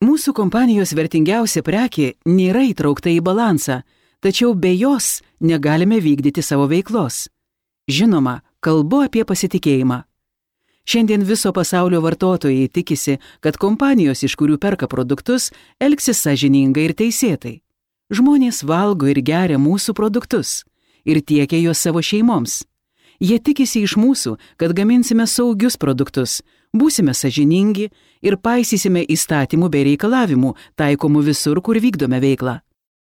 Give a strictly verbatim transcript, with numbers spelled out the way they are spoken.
Mūsų kompanijos vertingiausia prekė nėra įtraukta į balansą, tačiau be jos negalime vykdyti savo veiklos. Žinoma, kalbu apie pasitikėjimą. Šiandien viso pasaulio vartotojai tikisi, kad kompanijos, iš kurių perka produktus, elgsis sąžiningai ir teisėtai. Žmonės valgo ir geria mūsų produktus ir tiekia juos savo šeimoms. Jie tikisi iš mūsų, kad gaminsime saugius produktus, būsime sąžiningi ir paisysime įstatymų bei reikalavimų taikomų visur, kur vykdome veiklą.